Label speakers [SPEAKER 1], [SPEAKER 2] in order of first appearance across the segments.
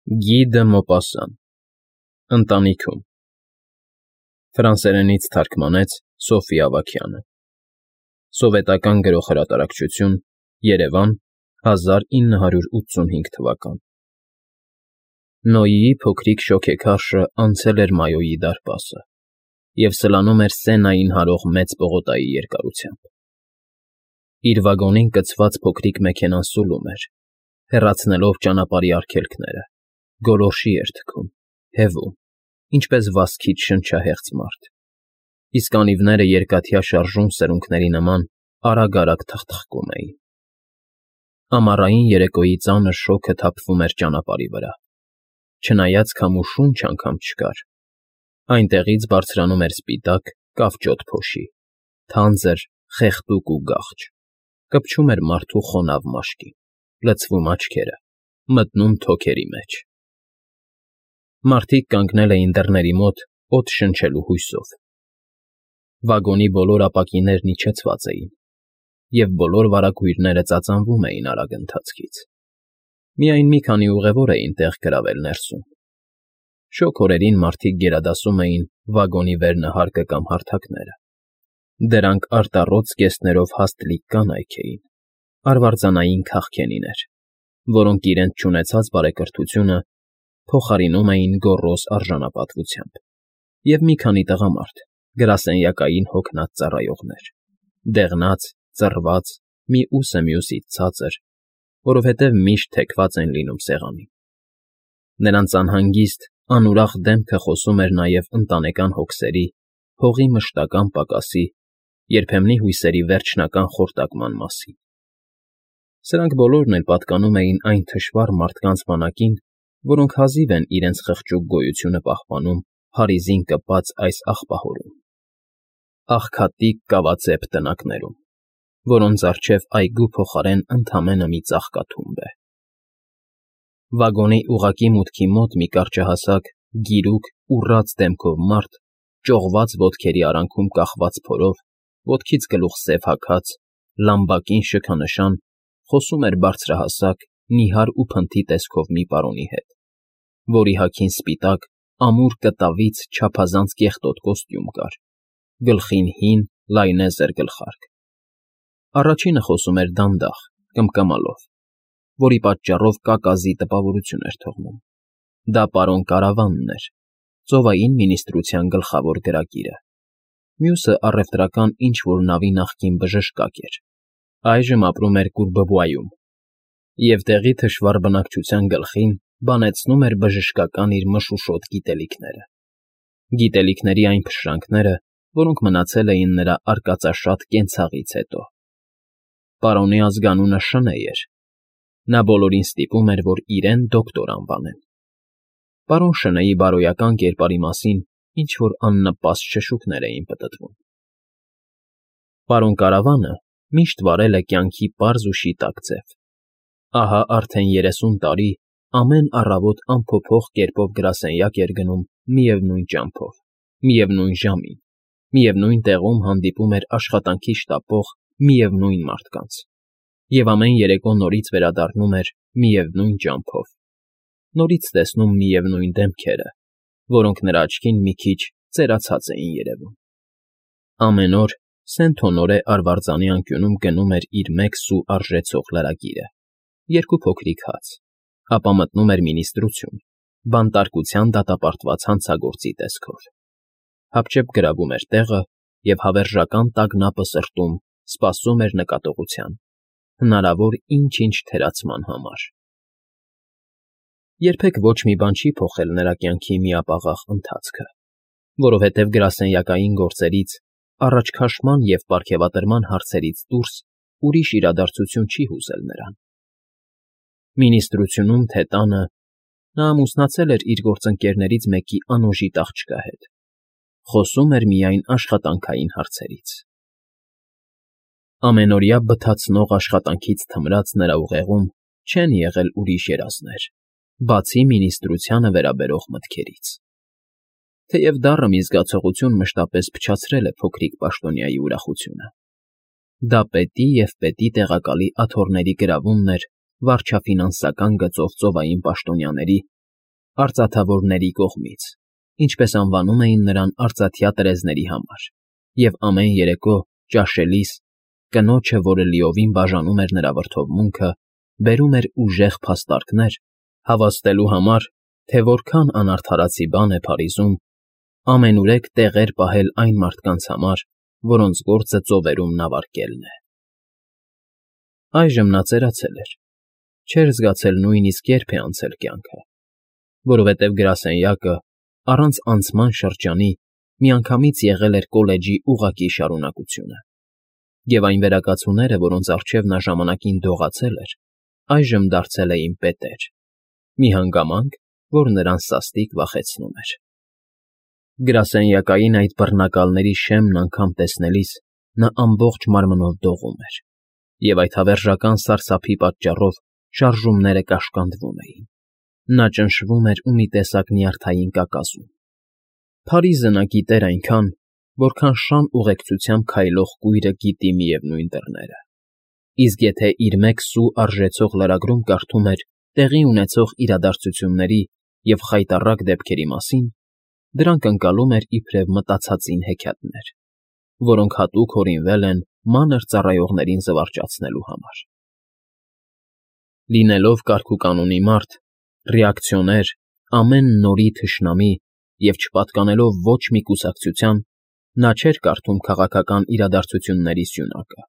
[SPEAKER 1] Գի դը Մոպասսան Ընտանիքում Ֆրանսերենից թարգմանեց Սոֆյա Ավագյանը Սովետական Գրող-հրատարակչություն Երևան 1985 թվական Նոյիի փոքրիկ շոգեքարշը անցել էր Մայոյի դարպասը և սլանում էր Սենային հարող մեծ պողոտայի երկարությամբ։ Իր վագոնին կցված փոքրիկ մեքենան սուլում էր, հեռացնելով ճանապարհի արգելքները, գոլորշի էր թքում, հևում, ինչպես վազքից շնչահեղձ մարդ, իսկ անիվները երկաթյա շարժուն սրունքների նման արագ-արագ թխթխկում էին։ Ամառային երեկոյի ծանր շոգը թափվում էր ճանապարհի վրա, չնայած քամու շունչ անգամ չկար, այնտեղից բարձրանում էր սպիտակ, կավճոտ փոշի, թանձր, խեղդուկ ու գաղջ, կպչում էր մարդու խոնավ մաշկին, լցվում աչքերը, մտնում թոքերի մեջ։ Մարդիկ կանգնել էին դռների մոտ օդ շնչելու հույսով։ Վագոնի բոլոր ապակիներն իջեցված էին, և բոլոր վարագույրները ծածանվում էին արագ ընթացքից։ Միայն մի քանի ուղևոր էին տեղ գրավել ներսում։ Շոգ օրերին մարդիկ գերադասում էին վագոնի վերնահարկը կամ հարթակները։ Դրանք արտառոց զգեստներով հաստլիկ կանայք էին, արվարձանային քաղքենիներ, որոնք իրենց չունեցած բարեկրթությունը փոխարինում էին գոռոզ արժանապատվությամբ, և մի քանի տղամարդ, գրասենյակային հոգնած ծառայողներ, դեղնած, ծռված, մի ուսը մյուսից ցածր, որովհետև միշտ թեքված են լինում սեղանին։ Նրանց անհանգիստ, անուրախ դեմքը խոսում էր նաև ընտանեկան հոգսերի, հողի մշտական պակասի, երբեմնի հույսերի վերջնական խորտակման մասին։ Սրանք բոլորն էլ պատկանում էին այն թշվառ մարդկանց բանակին, որոնք հազիվ են իրենց խղճուկ գոյությունը պահպանում փարիզին կպած այս աղբահորում, աղքատիկ կավածեպ տնակներում, որոնց առջև այգու փոխարեն ընդամենը մի ծաղկաթումբ է։ Վագոնի ուղղակի մուտքի մոտ մի կարճահասակ, գիրուկ, ուռած դեմքով մարդ, ճողված ոտքերի արանքում կախված փորով, ոտքից գլուխ սև հագած, լամբակին շքանշան, խոսում էր բարձրահասակ, նիհար ու փնթի տեսքով մի պարոնի հետ, որի հագին սպիտակ, ամուր կտավից չափազանց կեղտոտ կոստյում կար, գլխին հին, լայնեզր գլխարկ։ Առաջինը խոսում էր դանդաղ, կմկմալով, որի պատճառով կակազի տպավորություն էր թողնում։ Դա պարոն Կարավանն էր, ծովային մինիստրության գլխավոր գրագիրը։ Մյուսը առևտրական ինչ֊որ նավի նախկին բժշկակ էր, այժմ ապրում էր Կուրբվայում, և տեղի թշվառ բնակչության գլխին բանեցնում էր բժշկական իր մշուշոտ գիտելիքները, գիտելիքների այն փշրանքները, որոնք մնացել էին նրա արկածաշատ կենցաղից հետո։ Պարոնի ազգանունը Շնեյ էր, նա բոլորին ստիպում էր, որ իրեն դոկտոր անվանեն։ Պարոն Շնեյի բարոյական կերպարի մասին ինչ֊որ աննպաստ շշուկներ էին պտտվում։ Պարոն Կարավանը միշտ վարել է կյանքի պարզ ու շիտակ ձև։ Ահա արդեն 30 տարի ամեն առավոտ անփոփոխ կերպով գրասենյակ էր գնում միևնույն ճամփով, միևնույն ժամին, միևնույն տեղում հանդիպում էր աշխատանքի շտապող միևնույն մարդկանց, և ամեն երեկո նորից վերադառնում էր միևնույն ճամփով, նորից տեսնում միևնույն դեմքերը, որոնք նրա աչքին մի քիչ ծերացած էին երևում։ Ամեն օր Սենթոնորե արվարձանի անկյունում գնում էր իր մեկ սու արժեցող լրագիրը, 2 փոքրիկ հաց, ապա մտնում էր մինիստրություն, բանտարկության դատապարտված հանցագործի տեսքով, հապճեպ գրավում էր տեղը և հավերժական տագնապը սրտում սպասում էր նկատողության, հնարավոր ինչ֊ինչ թերացման համար։ Երբեք ոչ մի բան չի փոխել նրա կյանքի միապաղաղ ընթացքը, որովհետև գրասենյակային գործերից, առաջքաշման և պարգևատրման հարցերից դուրս ուրիշ իրադարձություն չի հուզել նրան։ Մինիստրությունում թե տանը նա ամուսնացել էր իր գործընկերներից մեկի անոժիտ աղջկա հետ, խոսում էր միայն աշխատանքային հարցերից։ Ամենօրյա բթացնող աշխատանքից թմրած նրա ուղեղում չեն եղել ուրիշ երազներ, բացի մինիստրությանը վերաբերող մտքերից։ Թեև դառը մի զգացողություն մշտապես փչացրել է փոքրիկ պաշտոնյայի ուրախությունը։ Դա պետի և պետի տեղակալի աթոռների գրավումն էր վարչաֆինանսական գծով ծովային պաշտոնյաների արծաթավորների կողմից, ինչպես անվանում էին նրան արծաթյա տրեզների համար, և ամեն երեկո, ճաշելիս, կնոջը, որը լիովին բաժանում էր նրա վրդովմունքը, բերում էր ուժեղ փաստարկներ, հավաստելու համար, թե որքան անարդարացի բան է Փարիզում ամենուրեք տեղեր պահել այն մարդկանց համար, որոնց գործը ծովերում նավարկելն է։ Այժմ նա ծերացել էր, չէր զգացել նույնիսկ երբ է անցել կյանքը, որովհետև գրասենյակը, առանց անցման շրջանի, միանգամից եղել էր կոլեջի ուղղակի շարունակությունը, և այն վերակացուները, որոնց առջև նա ժամանակին դողացել էր, այժմ դարձել էին պետեր, մի հանգամանք, որ նրան սաստիկ վախեցնում էր։ Գրասենյակային այդ բռնակալների շեմն անգամ տեսնելիս նա ամբողջ մարմնով դողում էր, և այդ հավերժական սարսափի պատճառով շարժումները կաշկանդվում էին։ Նա ճնշվում էր ու մի տեսակ նյարդային կակազում։ Փարիզը նա գիտեր այնքան, որքան շան ուղեկցությամբ քայլող կույրը գիտի միևնույն դռները։ Իսկ եթե իր մեկ սու արժեցող լրագրում կարդում էր տեղի ունեցող իրադարձությունների և խայտառակ դեպքերի մասին, դրանք ընկալում էր իբրև մտածածին հեքիաթներ, որոնք հատուկ հորինվել են մանր ծառայողներին զվարճացնելու համար։ Լինելով կարգուկանոնի մարդ, ռեակցիոներ, ամեն նորի թշնամի և չպատկանելով ոչ մի կուսակցության, նա չէր կարդում քաղաքական իրադարձությունների սյունակը,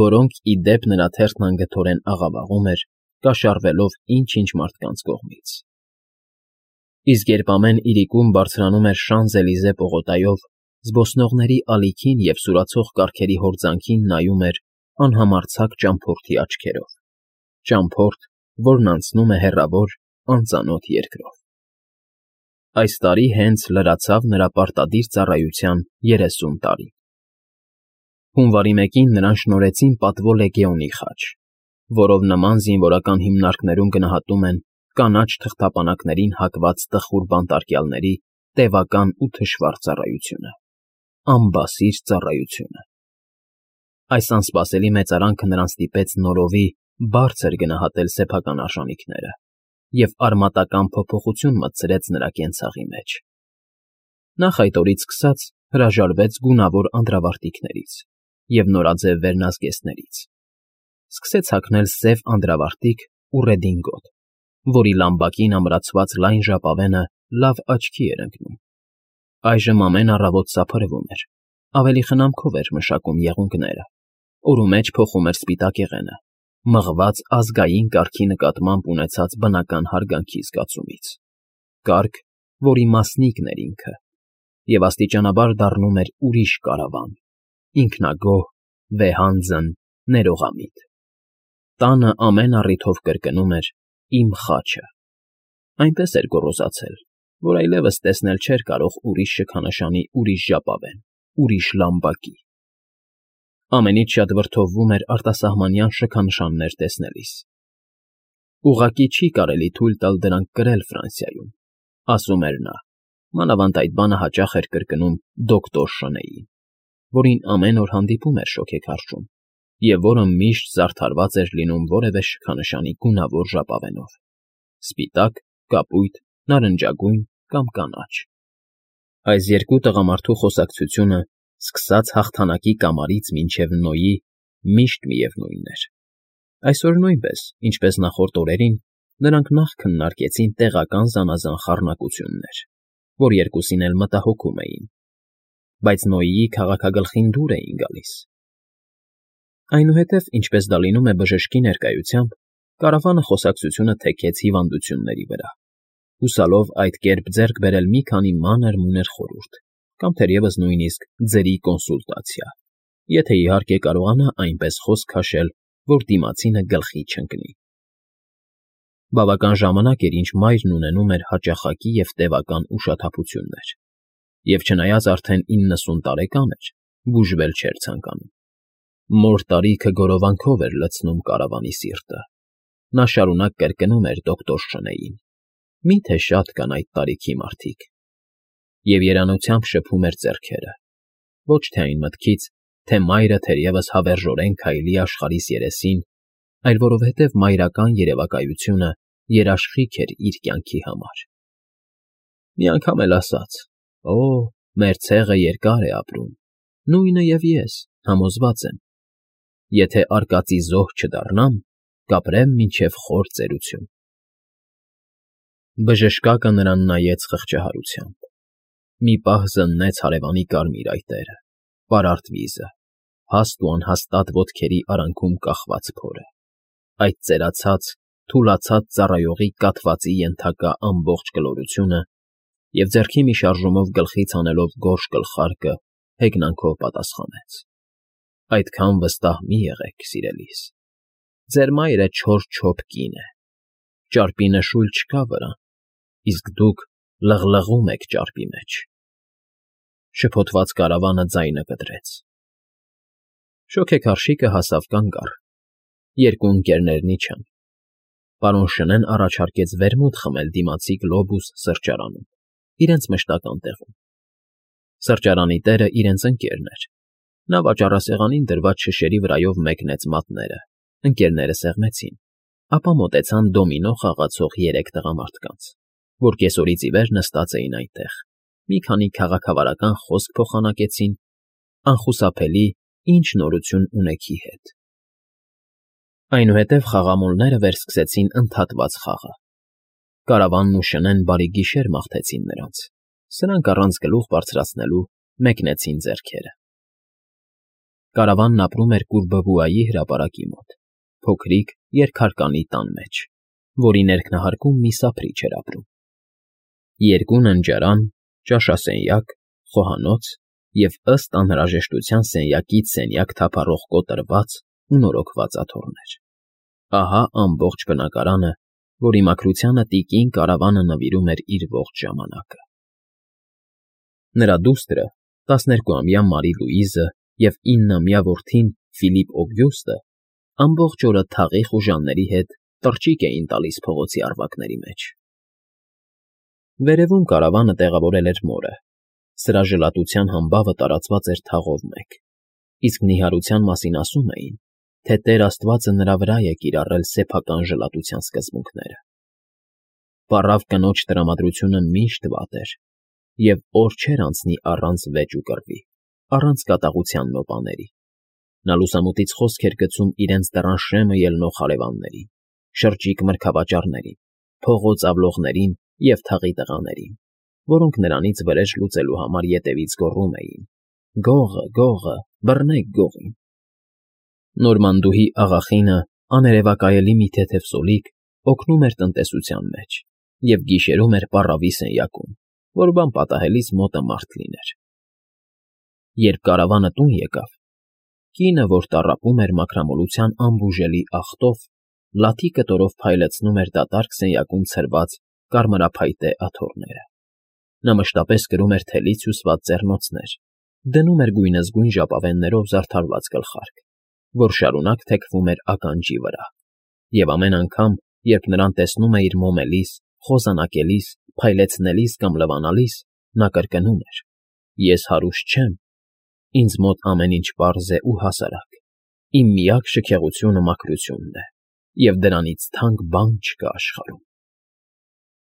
[SPEAKER 1] որոնք, ի դեպ, նրա թերթն անգթորեն աղավաղում էր, կաշառվելով ինչ-ինչ մարդկանց կողմից։ Իսկ երբ ամեն իրիկում բարձրանում էր Շանզելիզե պողոտայով, զբոսնողների ալիքին և սուրացող կառքերի հորձանքին նայում էր անհամարձակ ճամփորդի աչքերով, ճամփորդ, որն անցնում է հեռավոր, անծանոթ երկրով։ Այս տարի հենց լրացավ նրա պարտադիր ծառայության 30 տարին։ Հունվարի 1-ին նրան շնորհեցին պատվո լեգեոնի խաչ, որով նման զինվորական հիմնարկներում գնահատում են կանաչ թղթապանակներին հակված տխուր բանտարկյալների տևական ու թշվառ ծառայությունը, անբասիր ծառայությունը։ Այս անսպասելի մեծարանքը նրան ստիպեց նորովի բարձր գնահատել սեփական արժանիքները և արմատական փոփոխություն մտցրեց նրա կենցաղի մեջ։ Նախ այդ օրից սկսած հրաժարվեց գունավոր անդրավարտիքներից և նորաձև վերնազգեստներից, սկսեց հագնել սև անդրավարտիք ու ռեդինգոտ, որի լամբակին ամրացված լայն ժապավենը լավ աչքի էր ընկնում։ Այժմ ամեն առավոտ սափրվում էր, ավելի խնամքով էր մշակում եղունգները, օրու մեջ փոխում էր սպիտակեղենը, մղված ազգային կարգի նկատմամբ ունեցած բնական հարգանքի զգացումից, կարգ, որի մասնիկն էր ինքը, և աստիճանաբար դառնում էր ուրիշ կարավան, ինքնագոհ, վեհանձն, ներողամիտ։ Տանը ամեն առիթով կրկնում էր. «Իմ խաչը»։ Այնպես էր գոռոզացել, որ այլևս տեսնել չէր կարող ուրիշ շքանշանի ուրիշ ժապավեն, ուրիշ լամբակի։ Ամենից շատ վրդովվում էր արտասահմանյան շքանշաններ տեսնելիս։ Ուղղակի չի կարելի թույլ տալ դրանք կրել Ֆրանսիայում, ասում էր նա, մանավանդ այդ բանը հաճախ էր կրկնում դոկտոր Շնեյին, որին ամեն օր հանդիպում էր շոգեքարշում, և որը միշտ զարդարված էր լինում որևէ շքանշանի գունավոր ժապավենով՝ սպիտակ, կապույտ, նարնջագույն կամ կանաչ։ Այս երկու տղամարդու խոսակցությունը, սկսած հաղթանակի կամարից մինչև Նոյի, միշտ միևնույնն էր։ Այսօր նույնպես, ինչպես նախորդ օրերին, նրանք նախ քննարկեցին տեղական զանազան խառնակություններ, որ երկուսին էլ մտահոգում էին, բայց Նոյիի քաղաքագլխին դուր էին գալիս։ Այնուհետև, ինչպես դա լինում է բժշկի ներկայությամբ, կարավանը խոսակցությունը թեքեց հիվանդությունների վրա, հուսալով այդ կերպ ձեռք բերել մի քանի մանր֊մունր խորհուրդ կամ թերևս նույնիսկ ձրի կոնսուլտացիա, եթե իհարկե կարողանա այնպես խոսք քաշել, որ դիմացինը գլխի չընկնի։ Բավական ժամանակ էր, ինչ մայրն ունենում էր հաճախակի և տևական ուշաթափություններ, և չնայած արդեն 90 տարեկան էր, բուժվել չէր ցանկանում։ Մոր տարիքը գորովանքով էր լցնում կարավանի սիրտը։ Նա շարունակ կրկնում էր դոկտոր Շնեյին. «Մի՞թե շատ կան այդ տարիքի մարդիկ»։ Եվ երանությամբ շփում էր ձեռքերը, ոչ թե այն մտքից, թե մայրը թերևս հավերժորեն քայլի աշխարհիս երեսին, այլ որովհետև մայրական երևակայությունը երաշխիք էր իր կյանքի համար։ Մի անգամ էլ ասաց. «Օ, մեր ցեղը երկար է ապրում, նույնը և ես, համոզված եմ. եթե արկածի զոհ չդառնամ, կապրեմ մինչև խոր ծերություն»։ Բժշկակը նրան նայեց խղճահարությամբ։ Մի պահ զննեց հարևանի կարմիր այտերը, պարարտ վիզը, հաստ ու անհաստատ ոտքերի արանքում կախված փորը, այդ ծերացած, թուլացած ծառայողի կաթվածի ենթակա ամբողջ կլորությունը և ձեռքի մի շարժումով գլխից հանելով գորշ գլխարկը հեգնանքով պատասխանեց. «Այդքան վստահ մի եղեք, սիրելիս, ձեր մայրը չոր-չոփ կին է, ճարպի նշույլ չկա վրան, իսկ դուք լղլղում եք ճարպի մեջ»։ Շփոթված կարավանը ձայնը կտրեց։ Շոգեքարշիկը հասավ կանգառ։ Երկու ընկերներն իջան։ Պարոն Շնեն առաջարկեց վերմուտ խմել դիմացի Գլոբուս սրճարանում, իրենց մշտական տեղում։ Սրճարանի տերը իրենց ընկերն էր։ Նա վաճառասեղանին դրված շշերի վրայով մեկնեց մատները, ընկերները սեղմեցին, ապա մոտեցան դոմինո խաղացող երեք տղամարդկանց, որ կեսօրից ի վեր նստած էին այնտեղ, մի քանի քաղաքավարական խոսք փոխանակեցին, անխուսափելի «Ինչ նորություն ունեքի» հետ։ Այնուհետև խաղամոլները վերսկսեցին ընդհատված խաղը։ Կարավանն ու Շնեն բարի գիշեր մաղթեցին նրանց, սրանք առանց գլուխ բարձրացնելու մեկնեցին ձեռքերը։ Կարավանն ապրում էր Կուրբվուայի հրապարակի մոտ, փոքրիկ երկհարկանի տան մեջ, որի ներքնահարկում մի սափրիչ էր ապրում։ Երկու ննջարան, ճաշասենյակ, խոհանոց և ըստ անհրաժեշտության սենյակից սենյակ թափառող կոտրված ու նորոգված աթոռներ։ Ահա ամբողջ բնակարանը, որի մաքրությանը տիկին Կարավանը նվիրում էր իր ողջ ժամանակը։ Նրա դուստրը, 12-ամյա Մարի Լուիզը և 9-ամյա որդին Ֆիլիպ Օգյուստը ամբողջ օրը թաղի խուժանների հետ տրջիկ էին տալիս փողոցի առվակների մեջ։ Վերևում կարավանը տեղավորել էր մորը, սրա ժլատության համբավը տարածված էր թաղով մեկ, իսկ նիհարության մասին ասում էին, թե Տեր Աստվածը նրա վրա է կիրառել սեփական ժլատության սկզբունքները։ Պառավ կնոջ տրամադրությունը միշտ վատ էր, և օր չէր անցնի առանց վեճ ու կռվի, առանց կատաղության նոպաների։ Նա լուսամուտից խոսք էր գցում իրենց դռան շեմը ելնող հարևաններին, շրջիկ մրգավաճառներին, փողոց ավլողներին և թաղի տղաներին, որոնք նրանից վրեժ լուծելու համար ետևից գոռում էին. «Գողը, գողը, բռնեք գողին»։ Նորմանդուհի աղախինը, աներևակայելի մի թեթև սոլիկ, օգնում էր տնտեսության մեջ և գիշերում էր պառավի սենյակում, որ բան պատահելիս մոտը մարդ լիներ։ Երբ կարավանը տուն եկավ, կինը, որ տառապում էր մաքրամոլության անբուժելի ախտով, լաթի կտորով փայլեցնում էր դատարկ սենյակում ցրված կարմրափայտե աթոռները։ Նա մշտապես կրում էր թելից հյուսված ձեռնոցներ, դնում էր գույնզգույն ժապավեններով զարդարված գլխարկ, որ շարունակ թեքվում էր ականջի վրա, և ամեն անգամ, երբ նրան տեսնում էիր մոմելիս, խոզանակելիս, փայլեցնելիս կամ լվանալիս, նա կրկնում էր. «Ես հարուստ չեմ, ինձ մոտ ամեն ինչ պարզ է ու հասարակ, իմ միակ շքեղությունը մաքրությունն է, և դրանից թանկ բան չկա աշխարհում»։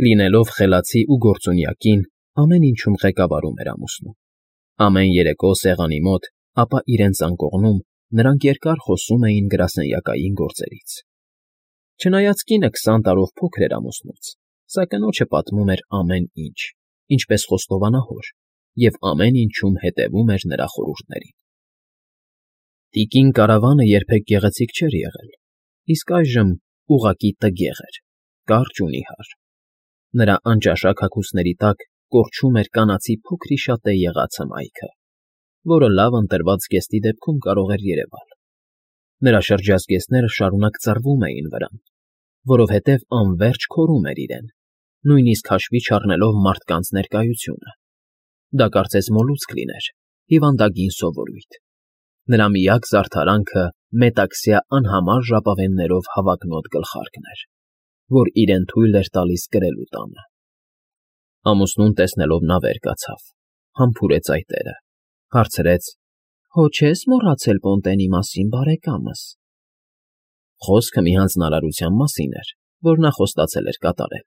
[SPEAKER 1] Լինելով խելացի ու գործունյա կին, ամեն ինչում ղեկավարում էր ամուսնուն։ Ամեն երեկո սեղանի մոտ, ապա իրենց անկողնում նրանք երկար խոսում էին գրասենյակային գործերից։ Չնայած կինը 20 տարով փոքր էր ամուսնուց, սա կնոջը պատմում էր ամեն ինչ, ինչպես խոստովանահոր, և ամեն ինչում հետևում էր նրա խորհուրդներին։ Տիկին Կարավանը երբեք գեղեցիկ չէր եղել, իսկ այժմ ուղղակի տգեղ էր, կարճ ու նիհար։ Նրա անճաշակ հագուստների տակ կորչում էր կանացի փոքրիշատե եղած հմայքը, որը լավ ընտրված զգեստի դեպքում կարող էր երևալ։ Նրա շրջազգեստները շարունակ ծռվում էին վրան, որովհետև անվերջ քորում էր իրեն, նույնիսկ հաշվի չառնելով մարդկանց ներկայությունը։ Դա կարծես մոլուցք լիներ, հիվանդագին սովորույթ։ Նրա միակ զարդարանքը մետաքսյա անհամար ժապավեններով հավակնոտ գլխարկն էր, որ իրեն թույլ էր տալիս կրելու տանը։ Ամուսնուն տեսնելով նա վեր կացավ, համբուրեց այտերը, հարցրեց. «Հո չես մոռացել Պոնտենի մասին, բարեկամս»։ Խոսքը մի հանձնարարության մասին էր, որ նա խոստացել էր կատարել։